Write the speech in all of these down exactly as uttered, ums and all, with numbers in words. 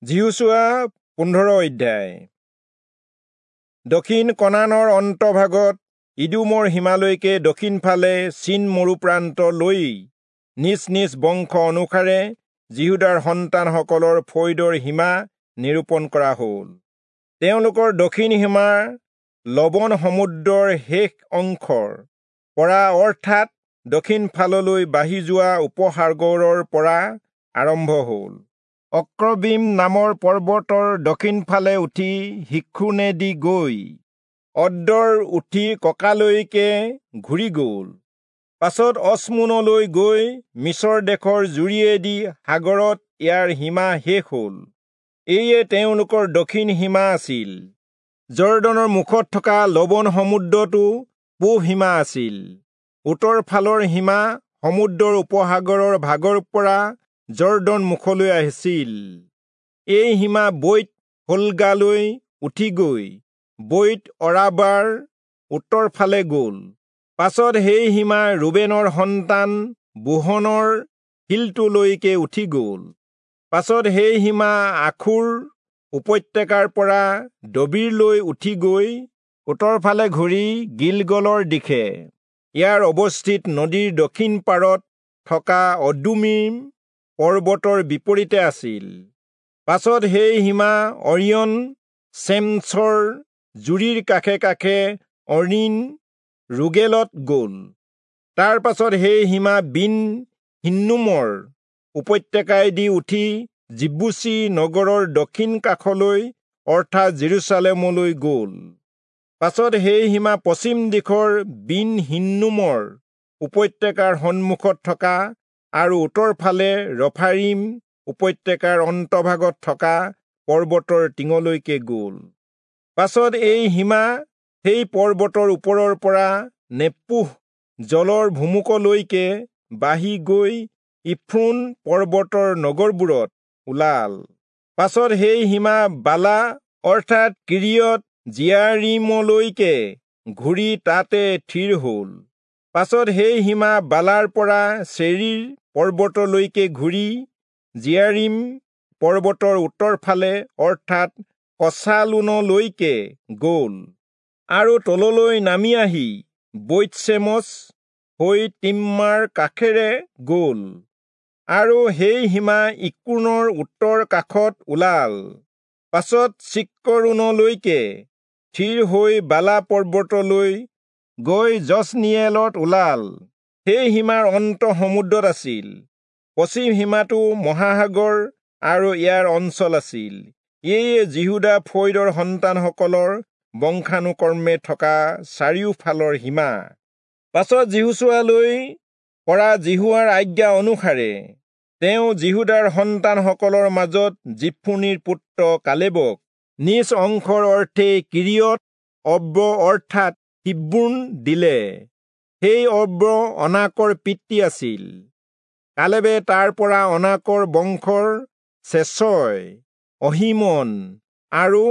যিহোচূৱা পোন্ধৰ অধ্যায়। দক্ষিণ কনানৰ অন্তভাগত ইদোমৰ সীমালৈকে দক্ষিণফালে চীন মৰুপ্ৰান্ত লৈ নিজ নিজ বংশ অনুসাৰে যিহূদাৰ সন্তানসকলৰ ফৈদৰ সীমা নিৰূপণ কৰা হ'ল। তেওঁলোকৰ দক্ষিণ সীমা লৱণ সমুদ্ৰৰ শেষ অংশৰ পৰা অৰ্থাৎ দক্ষিণ ফাললৈ বাঢ়ি যোৱা উপসাগৰৰ পৰা আৰম্ভ হ'ল। অক্ৰবীম নামৰ পৰ্বতৰ দক্ষিণফালে উঠি শিক্ৰোণেদি গৈ অদ্দৰ উঠি ককালৈকে ঘূৰি গ'ল। পাছত অচমোনলৈ গৈ মিচৰ দেশৰ জুৰিয়েদি সাগৰত ইয়াৰ সীমা শেষ হ'ল। এয়ে তেওঁলোকৰ দক্ষিণ সীমা আছিল। যৰ্দনৰ মুখত থকা লৱণ সমুদ্ৰটো পূব সীমা আছিল। উত্তৰ ফালৰ সীমা সমুদ্ৰৰ উপসাগৰৰ ভাগৰ পৰা যৰ্দন মুখলৈ আহিছিল। এই সীমা বৈত হোগলালৈ উঠি গৈ বৈত অৰাবাৰ উত্তৰ ফালে গ'ল। পাছত সেই সীমা ৰুবেনৰ সন্তান বোহনৰ শিলটোলৈকে উঠি গ'ল। পাছত সেই সীমা আখোৰ উপত্যকাৰ পৰা দবীৰলৈ উঠি গৈ উত্তৰ ফালে ঘূৰি গিলগলৰ দিশে ইয়াৰ অৱস্থিত নদীৰ দক্ষিণ পাৰত থকা অদুম্মীম পৰ্বতৰ বিপৰীতে আছিল। পাছত সেই সীমা অৰিয়ন চেমচৰ জুৰিৰ কাষে কাষে অৰিন ৰোগেলত গ'ল। তাৰ পাছত সেই সীমা বিন হিন্নোমৰ উপত্যকাইদি উঠি যিবূচী নগৰৰ দক্ষিণ কাষলৈ অৰ্থাৎ যিৰূচালেমলৈ গ'ল। পাছত সেই সীমা পশ্চিম দিশৰ বিন হিন্নোমৰ উপত্যকাৰ সন্মুখত থকা আৰু উত্তৰ ফালে ৰফায়ীম উপত্যকাৰ অন্তভাগত থকা পৰ্বতৰ টিঙলৈকে গ'ল। পাছত এই সীমা সেই পৰ্বতৰ ওপৰৰ পৰা নেপোহ জলৰ ভুমুকলৈকে বাঢ়ি গৈ ইফ্ৰোণ পৰ্বতৰ নগৰবোৰত ওলাল। পাছত সেই সীমা বালা অৰ্থাৎ কিৰিয়ত যিয়াৰীমলৈকে ঘূৰি তাতে থিৰ হ'ল। পাছত সেই সীমা বালাৰ পৰা চেৰীৰ পৰ্বতলৈকে ঘূৰি যিয়াৰীম পৰ্বতৰ উত্তৰ ফালে অৰ্থাৎ কচালোনলৈকে গ'ল আৰু তললৈ নামি আহি বৈৎচেমচ হৈ তিম্মাৰ কাষেৰে গ'ল আৰু সেই সীমা ইক্ৰোণৰ উত্তৰ কাষত ওলাল। পাছত চিক্কৰোণলৈকে থিৰ হৈ বালা পৰ্বতলৈ গৈ যজনীয়েলত ওলাল। সেই সীমাৰ অন্ত সমুদ্ৰত আছিল। পশ্চিম সীমাটো মহাসাগৰ আৰু ইয়াৰ অঞ্চল আছিল। এয়ে যিহূদা ফৈদৰ সন্তানসকলৰ বংশানুক্ৰমে থকা চাৰিওফালৰ সীমা। পাছত যিহোচূৱালৈ কৰা যিহোৱাৰ আজ্ঞা অনুসাৰে তেওঁ যিহূদাৰ সন্তানসকলৰ মাজত যিফুনিৰ পুত্ৰ কালেবক নিজ অংশৰ অৰ্থে কিৰিয়ত অৰ্ব অৰ্থাৎ হিব্ৰোণ দিলে। সেই অৰ্ব অনাকৰ পিতৃ আছিল। কালেবে তাৰ পৰা অনাকৰ বংশৰ চেচয়, অহীমন আৰু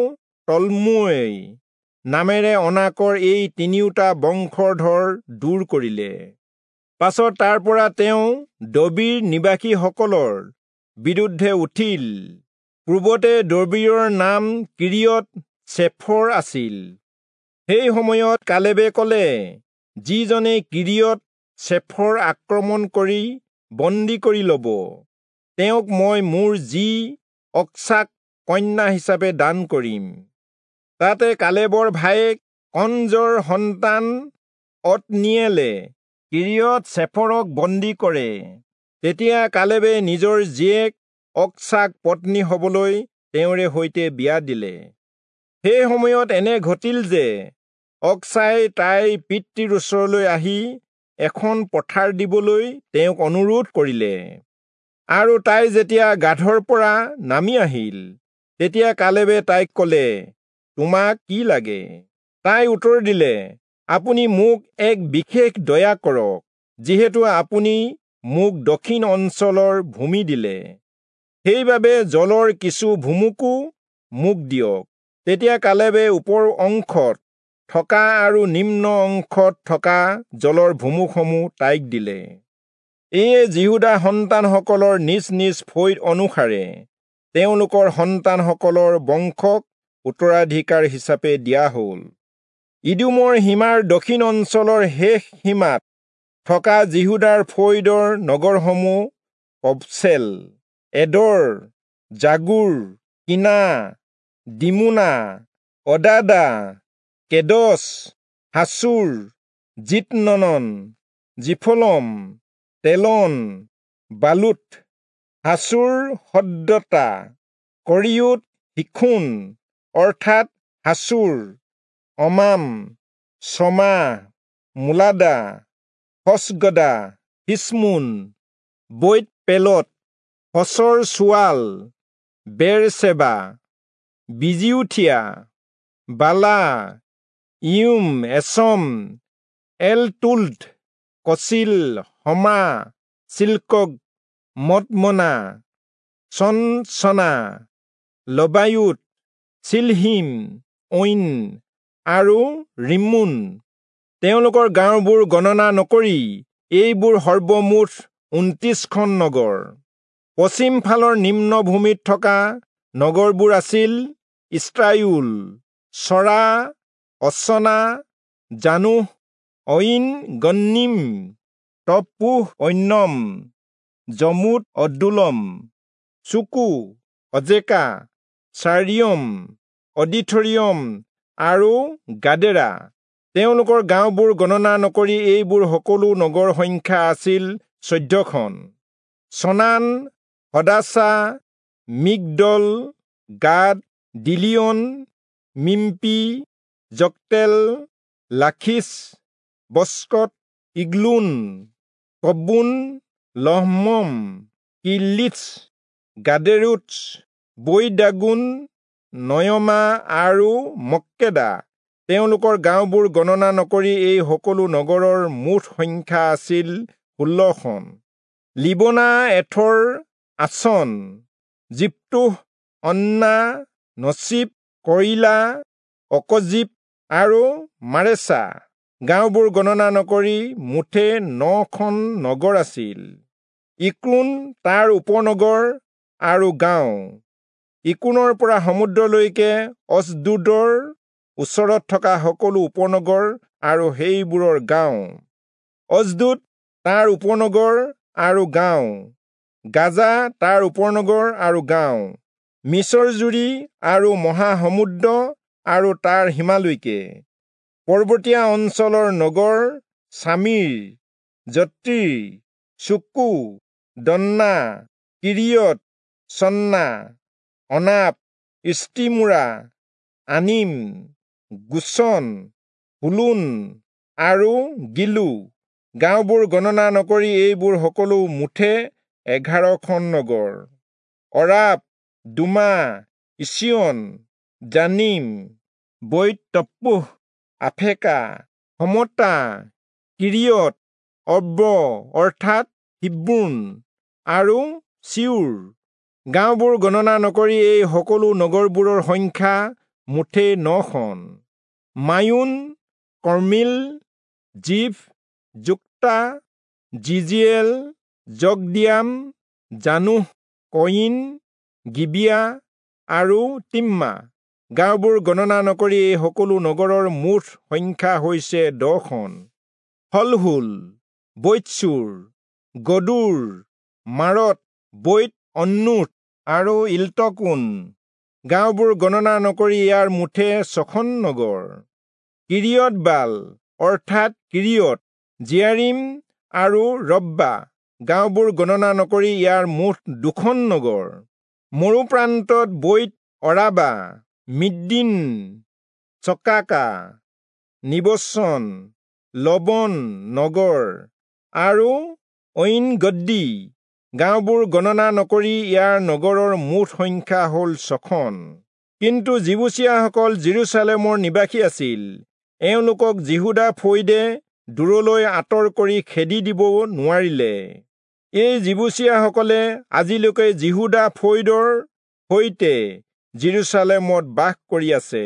তল্মোই নামেৰে অনাকৰ এই তিনিওটা বংশধৰ দূৰ কৰিলে। পাছত তাৰ পৰা তেওঁ দবীৰ নিবাসীসকলৰ বিৰুদ্ধে উঠিল। পূৰ্বতে দবীৰৰ নাম কিৰিয়ত চেফৰ আছিল। সেই সময়ত কালেবে ক'লে, যিজনে কিৰিয়ত চেফৰ আক্ৰমণ কৰি বন্দী কৰি ল'ব, তেওঁক মই মোৰ জী অক্সাক কন্যা হিচাপে দান কৰিম। তাতে কালেবৰ ভায়েক কনজৰ সন্তান অত্নীয়েলে কিৰিয়ত চেফৰক বন্দী কৰে। তেতিয়া কালেবে নিজৰ জীয়েক অক্সাক পত্নী হবলৈ তেওঁৰে সৈতে বিয়া দিলে। সেই সময়ত এনে ঘটিল যে অক্সাই তাইৰ পিতৃৰ ওচৰলৈ আহি এখন পথাৰ দিবলৈ তেওঁক অনুৰোধ কৰিলে। আৰু তাই যেতিয়া গাধৰ পৰা নামি আহিল, তেতিয়া কালেবে তাইক ক'লে, তোমাক কি লাগে? তাই উত্তৰ দিলে, আপুনি মোক এক বিশেষ দয়া কৰক, যিহেতু আপুনি মোক দক্ষিণ অঞ্চলৰ ভূমি দিলে, সেইবাবে জলৰ কিছু ভুমুকো মোক দিয়ক। তেতিয়া কালেবে ওপৰ অংশত থকা আৰু নিম্ন অংশত থকা জলৰ ভুমুকসমূহ তাইক দিলে। এয়ে যিহূদা সন্তানসকলৰ নিজ নিজ ফৈদ অনুসাৰে তেওঁলোকৰ সন্তানসকলৰ বংশক উত্তৰাধিকাৰ হিচাপে দিয়া হ'ল। ইদোমৰ সীমাৰ দক্ষিণ অঞ্চলৰ শেষ সীমাত থকা যিহূদাৰ ফৈদৰ নগৰসমূহ কবচেল, এদৰ, জাগুৰ, কিনা, দিমোনা, অদাদা, কেদছ, হাচোৰ, জিতনন, জিফলম, তেলন, বালুত, হাচোৰ হদ্দতা, কৰিয়োত হিখোন অৰ্থাৎ হাচোৰ, অমাম, চমা, মোলাদা, হচগদা, হিচমোন, বৈত পেলত, হচৰ চোৱাল, বেৰচেবা, বিজিউথিয়া, বালা, ইউম, এচম, এলতোলদ, কচিল, হমা, চিল্কক, মদমনা, চনচনা, লবায়ুত, চিলহিম, ঐন আৰু ৰিম্মোন। তেওঁলোকৰ গাঁওবোৰ গণনা নকৰি এইবোৰ সৰ্বমুঠ ঊনত্ৰিশখন নগৰ। পশ্চিম ফালৰ নিম্নভূমিত থকা নগৰবোৰ আছিল ইস্তায়োল, চৰা, অচনা, জানোহ, ঐন গন্নিম, তপ্পূহ, ঐন্নম, জমুত, অদুল্লম, চোকো, অজেকা, চাৰিয়ম, অডিথৰিয়ম আৰু গাদেৰা। তেওঁলোকৰ গাঁওবোৰ গণনা নকৰি এইবোৰ সকলো নগৰ সংখ্যা আছিল চৈধ্যখন। চনান, হদাচা, মিগদল, গাদ, দিলিয়ন, মিম্পি, জক্তেল, লাখিছ, বস্কত, ইগলোন, কব্বোন, লহমম, কিল্লিথ, গাদেৰোত, বৈদাগোন, নয়মা আৰু মক্কেদা। তেওঁলোকৰ গাঁওবোৰ গণনা নকৰি এই সকলো নগৰৰ মুঠ সংখ্যা আছিল ষোল্লখন। লিবনা, এথৰ, আচন, জিপ্তোহ, অন্না, নচিব, কয়িলা, অকজিব আৰু মাৰেচা। গাঁওবোৰ গণনা নকৰি মুঠে নখন নগৰ আছিল। ইক্ৰোণ, তাৰ উপনগৰ আৰু গাঁও। ইক্ৰোণৰ পৰা সমুদ্ৰলৈকে অছদোদৰ ওচৰত থকা সকলো উপনগৰ আৰু সেইবোৰৰ গাঁও। অছদোদ, তাৰ উপনগৰ আৰু গাঁও। গাজা, তাৰ উপনগৰ আৰু গাঁও। মিছৰ জুৰি আৰু মহাসমুদ্ৰ আৰু তাৰ সীমালৈকে। পৰ্বতীয়া অঞ্চলৰ নগৰ চামীৰ, যত্তীৰ, চুকো, দন্না, কিৰিয়ত, চন্না, অনাপ, ইষ্টিমোৰা, আনিম, গোচন, হুলোন আৰু গিলো। গাঁওবোৰ গণনা নকৰি এইবোৰ সকলো মুঠে এঘাৰখন নগৰ। অৰাপ, দুমা, ইচিয়ন, জানিম, বৈত তপ্পূহ, আফেকা, সমতা, কিৰিয়ত অৰ্ব অৰ্থাৎ হিব্ৰোণ আৰু চিউৰ। গাঁওবোৰ গণনা নকৰি এই সকলো নগৰবোৰৰ সংখ্যা মুঠে নখন। মায়োন, কৰ্মিল, জিফ, যুক্তা, জিজিয়েল, জগদিয়াম, জানোহ, কয়িন, গিবিয়া আৰু তিম্মা। গাঁওবোৰ গণনা নকৰি এই সকলো নগৰৰ মুঠ সংখ্যা হৈছে দহখন। হলহুল, বৈতচূৰ, গদূৰ, মাৰত, বৈত অন্নুথ আৰু ইল্টকোন। গাঁওবোৰ গণনা নকৰি ইয়াৰ মুঠে ছখন নগৰ। কিৰিয়ত বাল অৰ্থাৎ কিৰিয়ত জিয়াৰিম আৰু ৰব্বা। গাঁওবোৰ গণনা নকৰি ইয়াৰ মুঠ দুখন নগৰ। মৰুপ্ৰান্তত বৈত অৰাবা, মিদ্দিন, চকাকা, নিবচন, লবন নগৰ আৰু ঐন গদ্দি। গাঁওবোৰ গণনা নকৰি ইয়াৰ নগৰৰ মুঠ সংখ্যা হ'ল ছখন। কিন্তু যিবূচীয়াসকল যিৰূচালেমৰ নিবাসী আছিল। এওঁলোকক যিহূদা ফৈদে দূৰলৈ আঁতৰ কৰি খেদি দিব নোৱাৰিলে। এই যিবূচীয়াসকলে আজিলৈকে যিহূদা ফৈদৰ সৈতে যিৰূচালেমত বাস কৰি আছে।